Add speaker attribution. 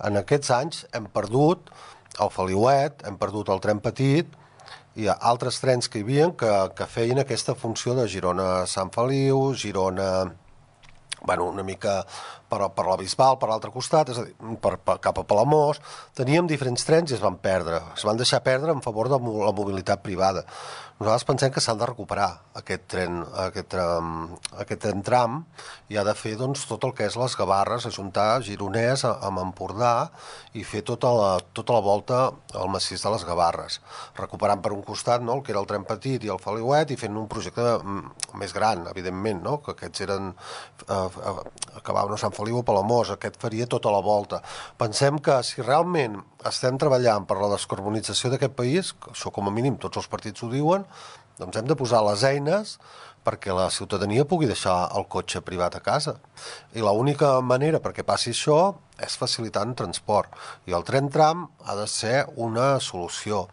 Speaker 1: En aquests anys hem perdut el Feliuet, hem perdut el tren petit, hi ha altres trens que hi havia que feien aquesta funció de Girona a Sant Feliu, Girona, bueno, una mica per la Bisbal, per l'altre costat, és a dir, cap a Palamós. Teníem diferents trens i es van perdre. Es van deixar perdre en favor de la mobilitat privada. Nosaltres pensem que s'han de recuperar aquest tram i ha de fer doncs, tot el que és les Gavarres, ajuntar Gironès amb Empordà i fer tota la volta al massís de les Gavarres, recuperant per un costat, no, el que era el tren petit i el Feliuet i fent un projecte més gran, evidentment, no, que aquests eren acabaven a Sant Feliu o Palamós, aquest faria tota la volta. Pensem que si realment estem treballant per la descarbonització d'aquest país, que això com a mínim tots els partits ho diuen, doncs hem de posar les eines perquè la ciutadania pugui deixar el cotxe privat a casa. I l'única manera perquè passi això és facilitant transport. I el tren tram ha de ser una solució.